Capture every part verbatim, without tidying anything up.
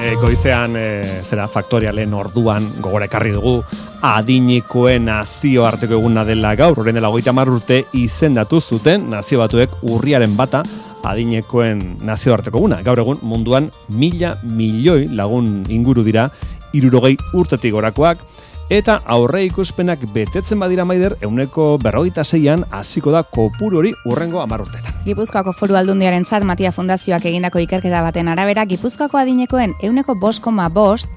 e, goizean e, zera faktorialen orduan gogora ekarri dugu adinikoen nazioarteko eguna dela gaur, orain dela hogeita hamar urte izendatu zuten Nazio Batuek urriaren bata adinekoen nazioarteko eguna. Gaur egun munduan mila milioi lagun inguru dira hirurogei urtetik gorakoak, eta aurre ikuspenak betetzen badira Maider, ehuneko berrogeita seian hasiko da kopuru hori hurrengo hamar urtetan. Gipuzkoako Foru Aldundiarentzat Matia Fundazioak egindako ikerketa baten arabera, Gipuzkoako adinekoen ehuneko bost koma bost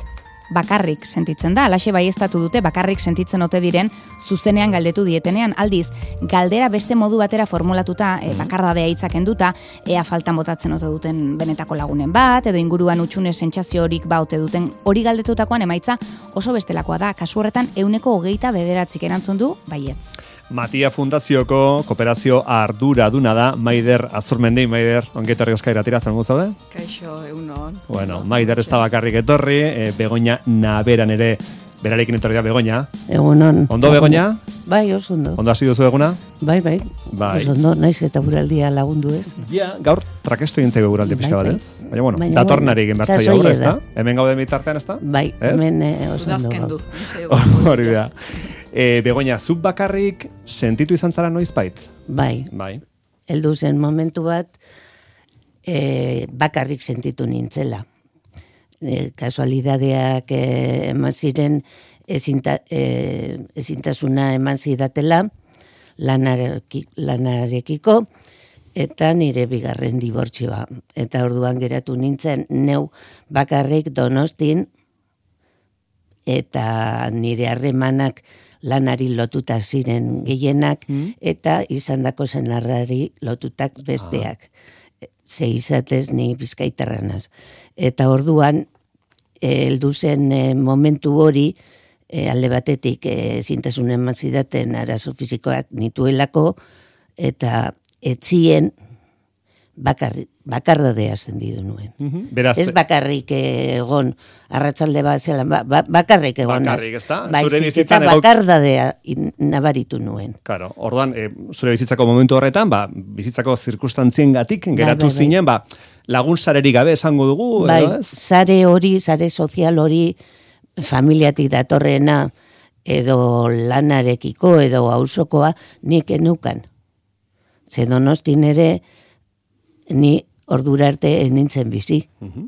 bakarrik sentitzen da. Alaxe baieztatu dute bakarrik sentitzen ote diren zuzenean galdetu dietenean. Aldiz, galdera beste modu batera formulatuta, e, bakardadea hitzak enduta, ea faltan botatzen ote duten benetako lagunen bat, edo inguruan utxune sentsazio horik ba ote duten, hori galdetutakoan emaitza oso bestelakoa da. Kasu horretan ehuneko hogeita bederatzik erantzun du baietz. Matia Fundazioko kooperazio arduraduna da Maider Azurmendi. Maider, ongetorri Euskal Irratira, zer modu zaude? Kaixo, egunon. Bueno, Maider ez da bakarrik etorri, e, Begoña Naberan ere berarekin etorri da Begoña. Egunon. Ondo Begoña? Bai, oso ondo. Ondo hasi duzu eguna? Bai, bai. Bai. Oso ondo, naiz eta guraldia lagundu ez. Ja, gaur trakestu egin zaigu guraldi pixka bat, Bai, ez? Baina, bueno, Baina, datornari egin bertzai sasoia aurre, ez da? da. Hemen gaude bitartean, ez da? Bai, Ez? hemen eh, oso ondo. Udazkendu. gau. Hori da. E, Begoña, zuk bakarrik sentitu izan zara noizbait? Bai, Bai. heldu zen momentu bat eh, bakarrik sentitu nintzela. Eh, kasualidadeak eh, eman ziren ezinta, eh, ezintasuna eman zidatela lanareki, lanarekiko eta nire bigarren dibortzioa. Eta orduan geratu nintzen neu bakarrik Donostin eta nire harremanak lanari lotuta ziren gehienak, Mm. eta izandako senarrari lotutak besteak. Ze izatez ni bizkaitarranaz. Eta orduan, eh, heldu zen eh, momentu hori, eh, alde batetik eh, zintasun eman zidaten arazo fisikoak nituelako, eta etzien bakarri, bakardadea sendidu nuen. Mhm. Beraz, Ez bakarrik egon, arratsalde bat zelan, ba, ba, bakarrik egon. Bakarrik, ezta? Zure Baizik eta bizitzan ego- bakardadea in- nabaritu nuen. Claro, orduan, e, zure bizitzako momentu horretan, ba, bizitzako zirkustantziengatik geratu bai, bai. zinen, ba, lagun sarerik gabe esango dugu, Bai, edo ez? sare hori, sare sozial hori, familiatik datorrena, edo lanarekiko, edo auzokoa, nik enukan. Ze Donostin ere, ni ordura arte ez nintzen bizi. Mhm.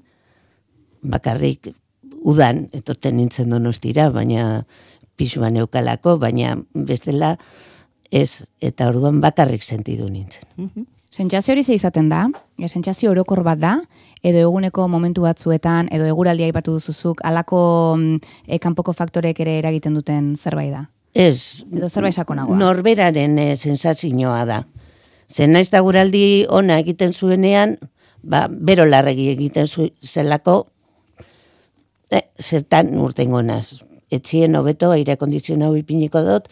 Bakarrik udan etorten nintzen Donostira, baina pisuan eukalako, baina bestela ez, eta orduan bakarrik sentidu nintzen. Sentsazio hori ze izaten da, e, sentsazio orokor bat da, edo eguneko momentu batzuetan, edo eguraldia aipatu duzuzuk, alako mm, e, kanpoko faktorek ere eragiten duten zerbait da. Ez, Edo zerbait sakonagoa. norberaren e, sensazioa da. Zen naiz da guraldi ona egiten zuenean, ba, bero larregi egiten zu, zelako, e, zertan urtengo naz. Etxien hobeto aire kondizionau ipiniko dut,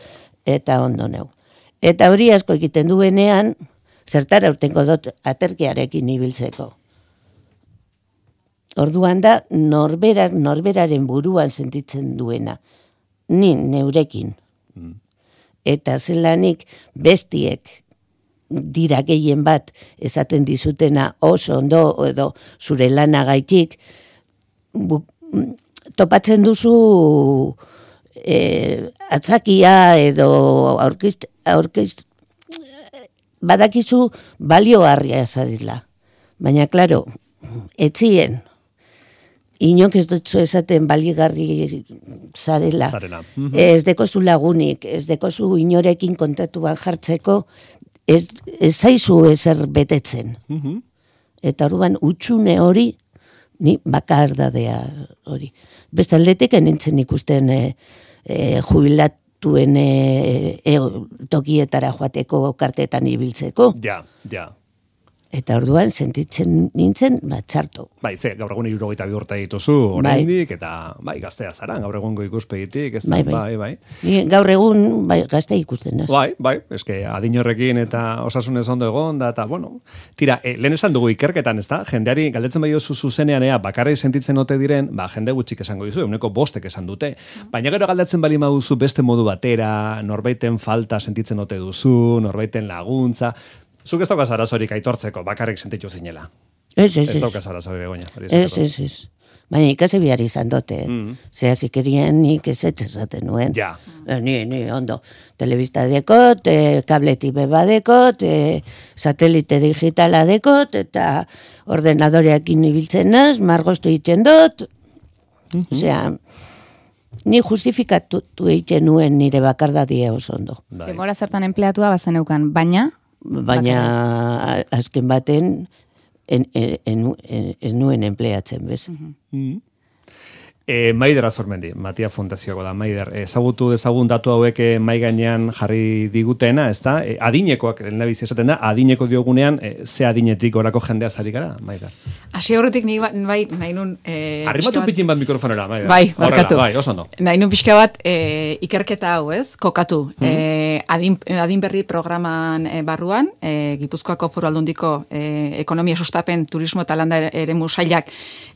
eta ondo neu. Eta hori asko egiten duenean, zertara urtengo dut aterkiarekin ibiltzeko. Orduan da, norberak, norberaren buruan sentitzen duena. Ni neurekin. Eta zelanik bestiek dira gehien bat esaten dizutena oso ondo edo zure lanagaitik bu, topatzen duzu e, atzakia edo aurkizt, aurkizt badakizu baliogarria zarela. Baina, klaro, etzien, inok ez dutzu esaten baligarri zarela. Zarela. Mhm. Ez dekozu lagunik, ez dekozu inorekin kontatuan jartzeko, ez, ez zaizu ezer betetzen. Mhm. Eta orduan utxune hori, ni bakardadea hori. Beste aldetik enintzen ikusten e, e, jubilatuen e, e, tokietara joateko kartetan ibiltzeko. Ja, ja. Eta orduan sentitzen nintzen, bat txarto. Bai, ze, gaur egun hirurogeita bi urte dituzu, oraindik, eta bai, gaztea zara, gaur egungo ikuspegitik, ez da, Bai, bai. bai, bai. Ni gaur egun bai, gazte ikusten naz. Bai, bai, eske adin horrekin eta osasunez ondo egon da, eta, bueno, tira, e, lehen esan dugu ikerketan, ez da, jendeari galdetzen bai duzu zuzenean, ea, bakarrik sentitzen ote diren, ba, jende gutxik esango dizu, euneko bostek esan dute. Baina gero galdetzen bali maduzu beste modu batera, norbaiten falta sentitzen ote duzu, norbaiten laguntza. Zuk ez daukaz arazorik aitortzeko, bakarrik sentitu zinela. Ez, ez, Ez ez. daukaz arazorik, Begoña. hori Ez, esateko. ez, ez. Baina ikasi behar izan dute. Mm. Zea zikerien nik ez etxezaten nuen. Ja. Eh, Ni, ni, ondo. Telebista dekot, eh, kableti beba dekot, eh, satelite digitala dekot, eta ordenadoreakin ibiltzen naz, margoztu egiten dut. Mhm. Osea, ni justifikatu egiten nuen nire bakardadia oso ondo. Bai. Denbora zertan empleatua bazeneukan, baina Baina a- azken baten en, en, en, en, ez nuen empleatzen, bez? Mm. E, Maider Azormendi, Matia Fundazioko da, Maider. Ezagutu dezagun datu hauek eh, mai gainean jarri digutena, ez da? E, adinekoak, lehendabizi esaten da, adineko diogunean, e, ze adinetik orako jendea zari gara, Maider? Hasi horretik nik ba- bai nahi nun... Eh, Arrimatu pixka bat- pitin bat mikrofonera, Maider. Bai, Horrela, barkatu. Bai, oso ondo. Nahi nun pixka bat eh, ikerketa hau, ez? Kokatu. eh, adin, adin berri programan eh, barruan, eh, Gipuzkoako Foru Aldundiko eh, ekonomia sustapen, turismo eta landa eremu sailak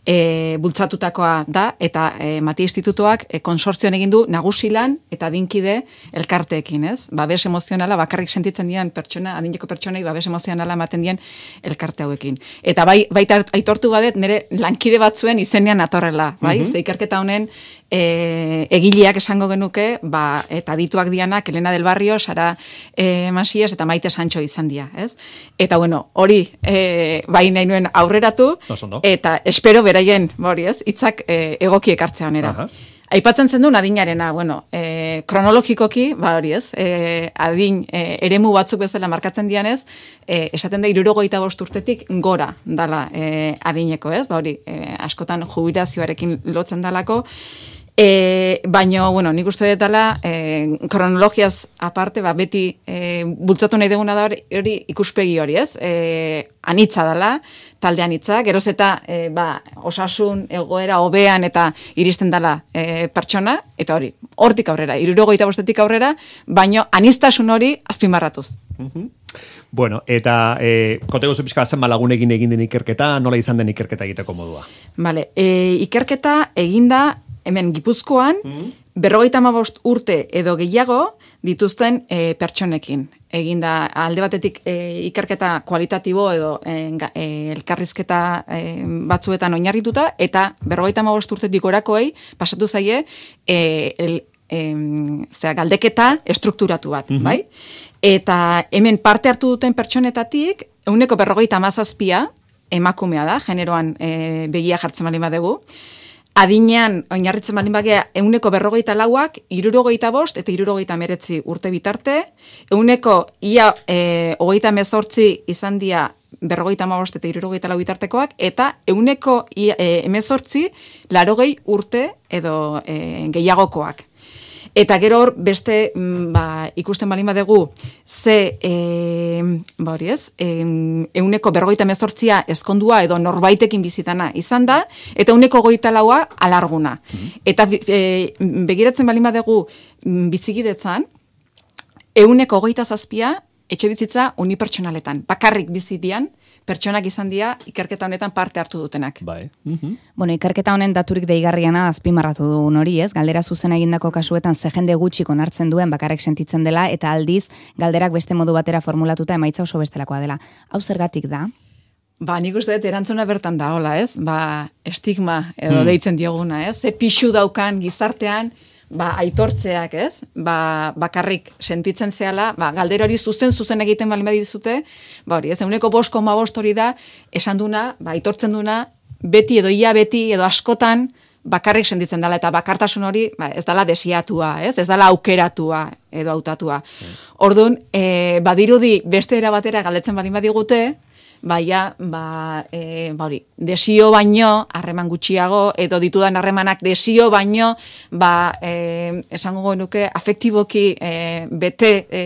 eh, bultzatutakoa da, eta eh, Matia Institutoak eh, konsortzioan egin du nagusilan eta adinkide elkarteekin, ez? Babes emozionala bakarrik sentitzen dian pertsona, adineko pertsonei babes emozionala ematen dien elkarte hauekin. Eta bai, baita aitortu badet nire lankide batzuen izenean atorrela, bai? Ze ikerketa honen e, egileak esango genuke, ba, eta dituak dianak, Elena del Barrio, Sara e, Masies eta Maite Sancho izan dira, ez? Eta bueno, hori e, bai nahi nuen aurreratu, Oso ondo. eta espero beraien, ba hori ez, hitzak e, egoki ekartzea honera. Aha. Aipatzen zen duen adinarena, bueno, e, kronologikoki, ba hori ez, e, adin e, eremu batzuk bezala markatzen dianez, e, esaten da hirurogeita bost urtetik gora dala e, adineko, ez? Ba hori, e, askotan jubilazioarekin lotzen dalako, E, baino, bueno, nik uste detala, e, kronologiaz aparte, ba, beti e, bultzatu nahi duguna da hori, hori ikuspegi hori, ez? E, anitza dala, talde anitza, geroz eta e, ba, osasun egoera hobean eta iristen dala e, pertsona, eta hori, hortik aurrera, hirurogeita bostetik aurrera, baino aniztasun hori azpimarratuz. Bueno, eta e, kontego zu pixka zen malagunekin egin den ikerketa, nola izan den ikerketa egiteko modua? Vale, e, ikerketa eginda hemen Gipuzkoan, berrogeita hamabost urte edo gehiago dituzten e, pertsonekin. Eginda alde batetik e, ikerketa kualitatibo edo e, ga- e, elkarrizketa e, batzuetan oinarrituta, eta berrogeita hamabost urtetik gorakoei pasatu zaie e, el, e, zera, galdeketa estrukturatu bat, bai? Eta hemen parte hartu duten pertsonetatik, ehuneko berrogeita hamazazpia emakumea da, generoan e, begia jartzen baldin badegu, adinean, oinarritzen baldin bagea, euneko berrogeita lauak, irurogeita bost eta irurogeita meretzi urte bitarte, euneko ia e, hogeita mezortzi izan dia berrogeita hamabost eta irurogeita lau bitartekoak, eta euneko ia, e, emezortzi larogei urte edo e, gehiagokoak. Eta gero hor beste mm, ba, ikusten baldin badegu ze e, ba hori ez, e, euneko berrogeita mezortzia ezkondua edo norbaitekin bizitana izan da, eta euneko goita laua alarguna. Eta e, begiratzen baldin badegu mm, bizikidetzan, euneko goita zazpia etxe bizitza unipertsonaletan, bakarrik bizitian, pertsonak izan dira ikerketa honetan parte hartu dutenak. Bai. Bueno, ikerketa honen daturik deigarriana azpimarratu dugun hori, ez? Galdera zuzen egindako kasuetan ze jende gutxik onartzen duen bakarrik sentitzen dela, eta aldiz galderak beste modu batera formulatuta emaitza oso bestelakoa dela. Hau zergatik da? Ba, nik uste dut erantzuna bertan da, hola, ez? Ba, estigma edo deitzen dioguna, ez? Ze pixu daukan gizartean, ba, aitortzeak, ez? Ba, bakarrik sentitzen zehala, ba, galdera hori zuzen zuzen egiten baldin badizute, ba hori, ez? Euneko bost koma bost hori da, esan duna, ba, aitortzen duna, beti edo ia beti edo askotan bakarrik sentitzen dela, eta bakartasun hori ba, ez dela desiatua, ez? Ez dela aukeratua edo hautatua. Orduan, e, badirudi beste era batera galdetzen baldin badigute, baia, ba, e, ba hori, desio baino, harreman gutxiago, edo ditudan harremanak desio baino, ba, e, esango genuke, afektiboki e, bete, e,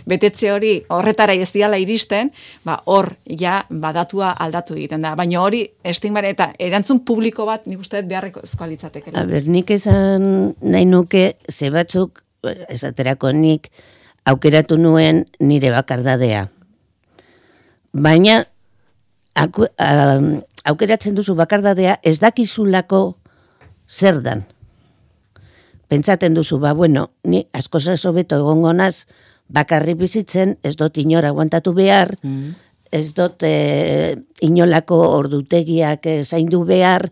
betetze hori horretara ez diala iristen, ba, hor, ja, badatua aldatu egiten da. Baina hori, estigmare, eta erantzun publiko bat, nik uste dut beharreko litzateke. A ber, nik esan nahi nuke, ze batzuk, esaterako nik, aukeratu nuen nire bakardadea. Baina, Aku, um, aukeratzen duzu bakardadea ez dakizulako zer dan. Pentsaten duzu, ba, bueno, ni asko hobeto egongo naz bakarri bizitzen, ez dut inora aguantatu behar, ez dut e, inolako ordutegiak e, zaindu behar,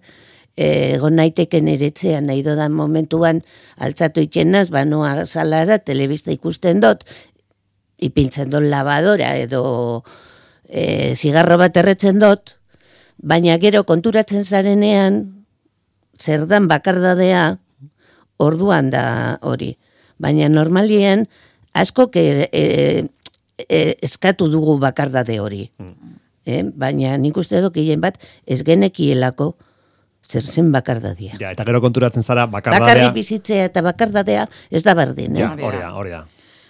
egon naiteken eretzean nahi dodan momentuan altzatu itxenaz, banoa salara, telebista ikusten dut, ipintzen dut lavadora edo e, zigarro bat erretzen dut, baina gero konturatzen zarenean, zer dan bakardadea, orduan da hori. Baina normalien, asko e, e, e, eskatu dugu bakardade hori. Eh? Baina nik uste dut gehien bat ez genekielako zer zen bakardadia. Ja, eta gero konturatzen zara bakardadea. Bakarrik bizitzea eta bakardadea ez da berdin. Eh? Ja, hori da, hori da.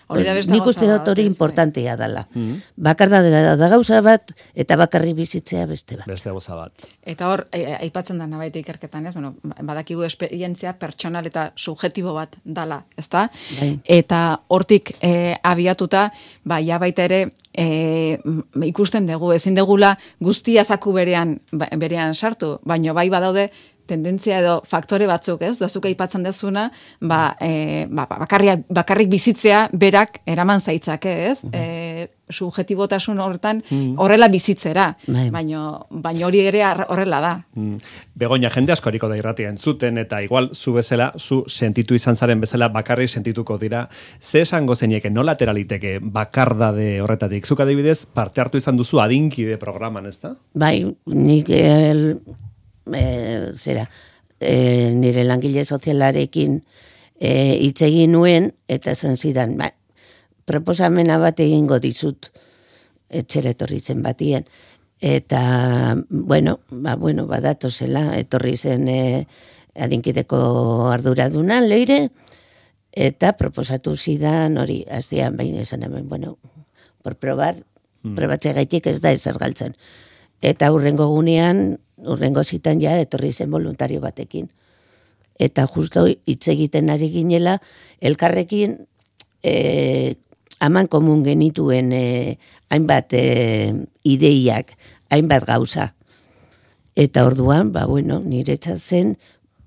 Nik uste dut hori importantea dela. Mm. Bakardadea da gauza bat eta bakarrik bizitzea beste bat. Beste gauza bat. Eta hor, aipatzen da nabait ikerketan, ez? Bueno, badakigu esperientzia pertsonal eta subjektibo bat dala, ezta? Bai. Eta hortik e, abiatuta, ba, ja baita ere, e, ikusten dugu, ezin degula guztia zaku berean, berean sartu, baino bai badaude, tendentzia edo faktore batzuk, ez? Dozuk aipatzen dezuna, ba, e, ba, bakarrik, bakarrik bizitzea berak eraman zaitzake, ez? Mm -hmm. e, subjetibotasun horretan horrela bizitzera, mm. baino, baino hori ere horrela da. Mm. Begoña, jende askoriko da irratia entzuten, eta igual zu bezala, zu sentitu izan zaren bezala bakarrik sentituko dira. Ze esango zenieke, nola teraliteke bakardade horretatik? Zuk adibidez, parte hartu izan duzu adinkide programan, ez da? Bai, nik el... E, zera, e, nire langile sozialarekin hitz e, egin nuen, eta esan zidan, ba, proposamena bat egingo dizut, etxera etorri zen batien. Eta, bueno, ba, bueno, badatu zela, etorri zen e, adinkideko arduradunan leire, eta proposatu zidan hori, aztean baina esan hemen, bueno, por probar, mm. probatze gaitik ez da ezer galtzen. Eta hurrengo gunean, urrengo zitan ja etorri zen voluntario batekin. Eta justo hitz egiten ari ginela, elkarrekin e, aman komun genituen e, hainbat e, ideiak, hainbat gauza. Eta orduan, ba bueno, niretzat zen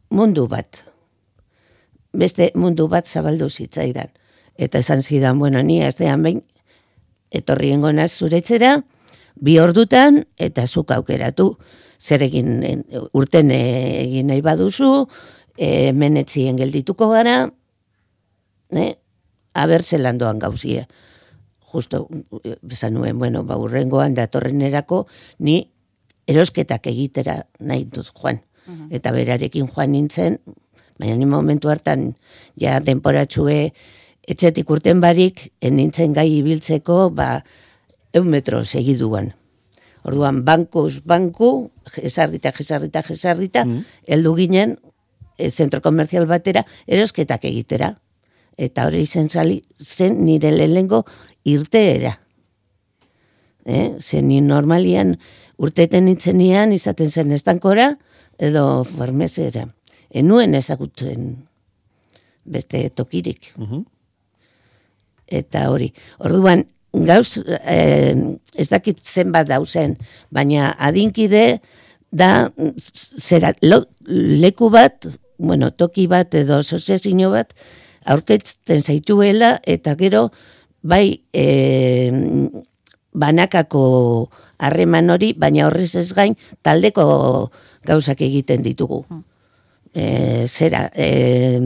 mundu bat. Beste mundu bat zabaldu zitzaidan. Eta esan zidan, bueno, ni aztean behin etorri engonaz zuretzera, bi ordutan, eta zuk aukeratu. Zer egin urten egin nahi baduzu, e, menetzien geldituko gara, ne? Aber zelan doan gauzia. Justo, esan nuen, bueno, ba, urrengoan datorrenerako, ni erosketak egitera nahi dut joan. Uh-huh. Eta berarekin joan nintzen, baina ni momentu hartan, ja denporatxue, etxetik urten barik, nintzen gai ibiltzeko, ba, eun metro segiduan. Orduan, bankuz, banku, jesarrita, jesarrita, jesarrita, mm. eldu ginen, e, zentro komerzial batera, erosketak egitera. Eta hori zen, zali, zen nire lehengo irteera. Eh? Zen ni normalian urteten nintzenian izaten zen estankora, edo farmezera. Enuen ezagutzen beste tokirik. Mm-hmm. Eta hori. Orduan, gauz, eh, ez dakit zenbat dauzen, baina adinkide da zera, lo, leku bat, bueno, toki bat edo asoziazio bat, aurketzen zaituela, eta gero, bai, eh, banakako harreman hori, baina horrez ez gain, taldeko gauzak egiten ditugu. Eh, zera, eh,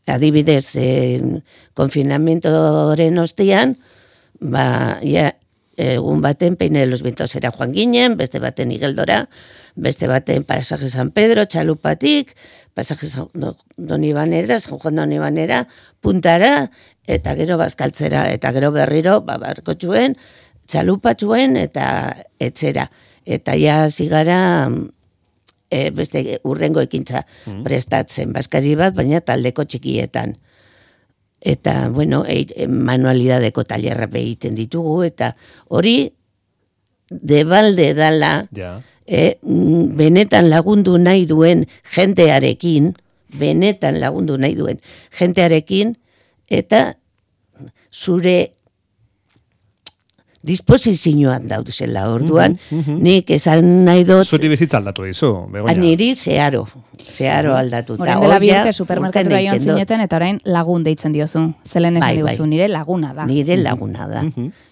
adibidez, eh, konfinamentoren ostian, ba, ja, egun baten Peine de los Ventosera joan ginen, beste baten Igeldora, beste baten Pasaje San Pedro, Txalupatik, Pasaje San Donibanera, San Juan Donibanera, Puntara, eta gero Bazkaltzera, eta gero berriro, ba, barkotxuen, Txalupatxuen, eta etxera. Eta ja zigara, e, beste urrengo ekintza mm. prestatzen, Baskari bat, baina taldeko txikietan. Eta, bueno, e, manualidadeko talerra egiten ditugu, eta hori debalde dala, yeah. e, benetan lagundu nahi duen jentearekin, benetan lagundu nahi duen jentearekin, eta zure disposizioan dauduzela orduan, mm -hmm. nik esan nahi dut... Zuti bizitza aldatu dizu, Begoña. Niri zeharo, zeharo aldatu. Orain dela bi urte supermerkatura joan zineten, eta orain lagun deitzen diozu. Zelen esan diguzu, bai. Nire laguna da. Nire laguna da,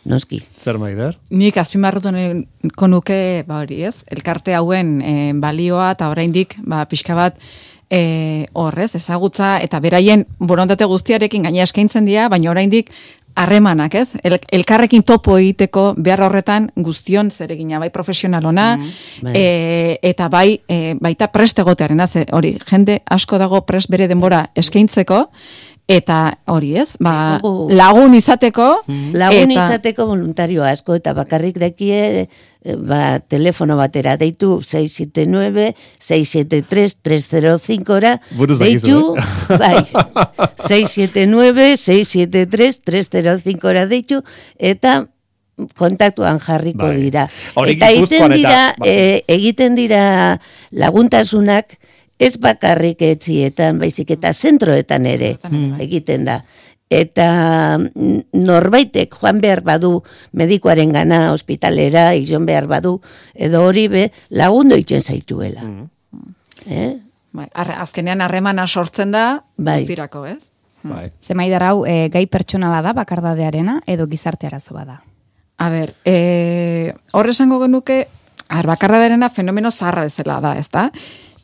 noski. Zer Maider? Nik azpimarratu nahiko nuke, ba hori ez, elkarte hauen e, balioa eta oraindik ba, pixka bat e, horrez, ezagutza eta beraien borondate guztiarekin gaina eskaintzen dira, baina oraindik harremanak, ez? El, elkarrekin topo egiteko behar horretan guztion zeregina, bai profesionalona, mm -hmm. e, eta bai e, baita prest egotearen, hori, jende asko dago prest bere denbora eskaintzeko, eta hori ez, ba, lagun izateko. Mm-hmm. Lagun eta... izateko voluntario asko, eta bakarrik dekie, ba, telefono batera deitu sei siete nueve, sei siete tres, tres cero cinco ra, deitu, eh? bai, sei siete nueve, sei siete tres, tres cero cinco ra deitu, eta kontaktuan jarriko bai. Dira. Hori, eta egiten dira, eta... e, egiten dira laguntasunak, ez bakarrik etzietan, baizik eta zentroetan ere hmm. egiten da. Eta norbaitek joan behar badu medikoaren gana, ospitalera, izan behar badu, edo hori be, lagundo itzen zaituela. Hmm. Eh? Bai, arre, azkenean harremana sortzen da, bai. Guztirako, ez? Bai. Zemaidar hau, e, gai pertsonala da bakardadearena, edo gizarte arazo bada? A ber, e, horre esango genuke, bakardadearena fenomeno zaharra bezala da, ez da?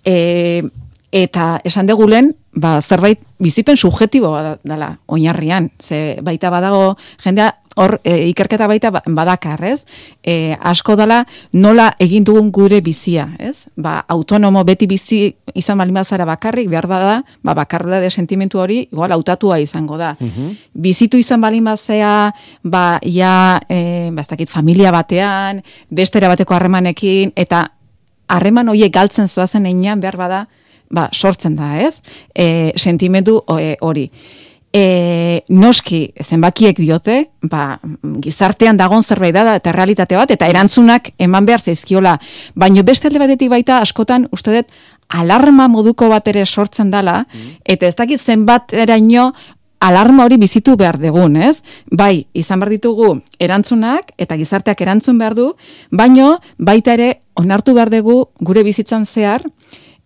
E, eta esan degulen, ba, zerbait bizipen subjetibo dela oinarrian, ze baita badago jendea hor e, ikerketa baita badakar, ez? E, asko dela nola egin dugun gure bizia, ez? Ba, autonomo beti bizi izan baldin bazara bakarrik, behar bada, ba, bakarra sentimentu hori igual hautatua izango da. Uh-huh. Bizitu izan baldin bazea, ba, ja, e, ba, ez dakit, familia batean, bestera bateko harremanekin, eta harreman horiek galtzen zoazen einean behar bada, ba, sortzen da, ez? E, sentimentu hori. E, noski, zenbakiek diote, ba, gizartean dagon zerbait da, eta realitate bat, eta erantzunak eman behar zaizkiola. Baina beste alde batetik baita, askotan, uste dut, alarma moduko bat ere sortzen dala, eta ez dakit zenbat eraino, alarma hori bizitu behar dugun, ez? Bai, izan behar ditugu erantzunak, eta gizarteak erantzun behar du, baino baita ere onartu behar dugu gure bizitzan zehar,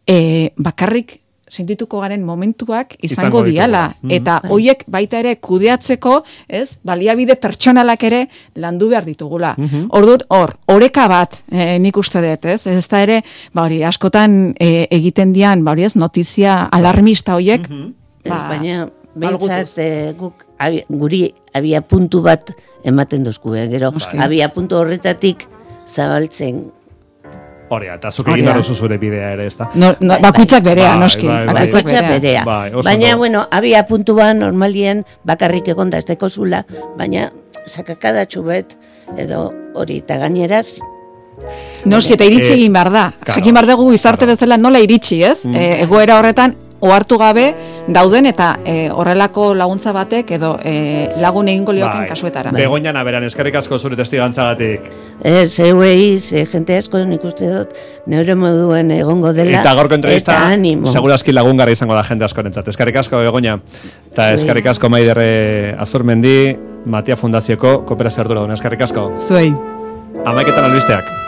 e, bakarrik sentituko garen momentuak izango, izango diala. Mm-hmm. Eta hoiek baita ere kudeatzeko, ez? Baliabide pertsonalak ere landu behar ditugula. Mm-hmm. Ordut, hor, oreka bat, e, nik uste dut, ez? Ez da ere, ba hori, askotan e, egiten dian, ba hori ez, notizia alarmista hoiek, mm-hmm. ba, ez, baina... Behintzat, e, guk abi, guri abia puntu bat ematen duzku, eh? Gero, okay. Abia puntu horretatik zabaltzen. Horea, eta zuk egin daruzu zure bidea ere, ez da? No, no, bakuitzak berea, noski. Bai, bai, bakuitzak berea. Bai, baina, no. Bueno, abia puntua normalien bakarrik egonda ez teko zula, baina sakakadatxu bet, edo hori, eta gaineraz, noski, eta iritsi egin behar da. Claro, jakin behar dugu izarte claro. Bezala nola iritsi, ez? Mm. E, egoera horretan, ohartu gabe dauden eta e, horrelako laguntza batek edo e, lagun egingo lioken bai. Kasuetara. Begoña Naberan, eskerrik asko zure testigantzagatik. Ez, euei, jente asko nik uste dut, neure moduen egongo dela. Eta gaurko entrevista, segurazki lagungarra izango da jende askorentzat. Eskerrik asko, Begoña. Eta eskerrik asko Maider Azurmendi, Matia Fundazioko kooperazio ardura duen. Eskerrik asko. Zuei. Amaiketan albisteak.